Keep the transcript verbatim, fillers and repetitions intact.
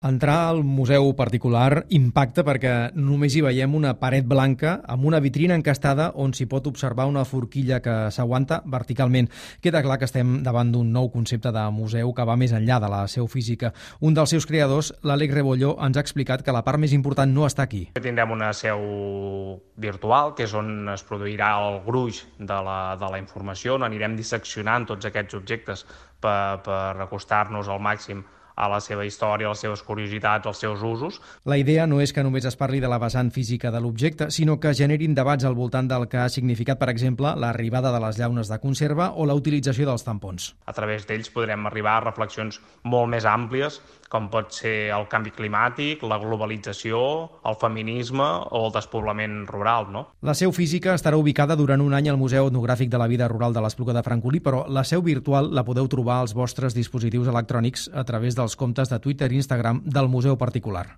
Entrar al museu particular impacta perquè només hi veiem una paret blanca amb una vitrina encastada on s'hi pot observar una forquilla que s'aguanta verticalment. Queda clar que estem davant d'un nou concepte de museu que va més enllà de la seu física. Un dels seus creadors, l'Àlex Rebolló, ens ha explicat que la part més important no està aquí. Tindrem una seu virtual, que és on es produirà el gruix de la, de la informació, on anirem disseccionant tots aquests objectes per, per acostar-nos al màxim a la seva història, a les seves curiositats, als seus usos. La idea no és que només es parli de la vessant física de l'objecte, sinó que generin debats al voltant del que ha significat, per exemple, l'arribada de les llaunes de conserva o la utilització dels tampons. A través d'ells podrem arribar a reflexions molt més àmplies, com pot ser el canvi climàtic, la globalització, el feminisme o el despoblament rural, no? La seu física estarà ubicada durant un any al Museu Etnogràfic de la Vida Rural de l'Espluga de Francolí, però la seu virtual la podeu trobar als vostres dispositius electrònics a través dels comptes de Twitter i Instagram del museu particular.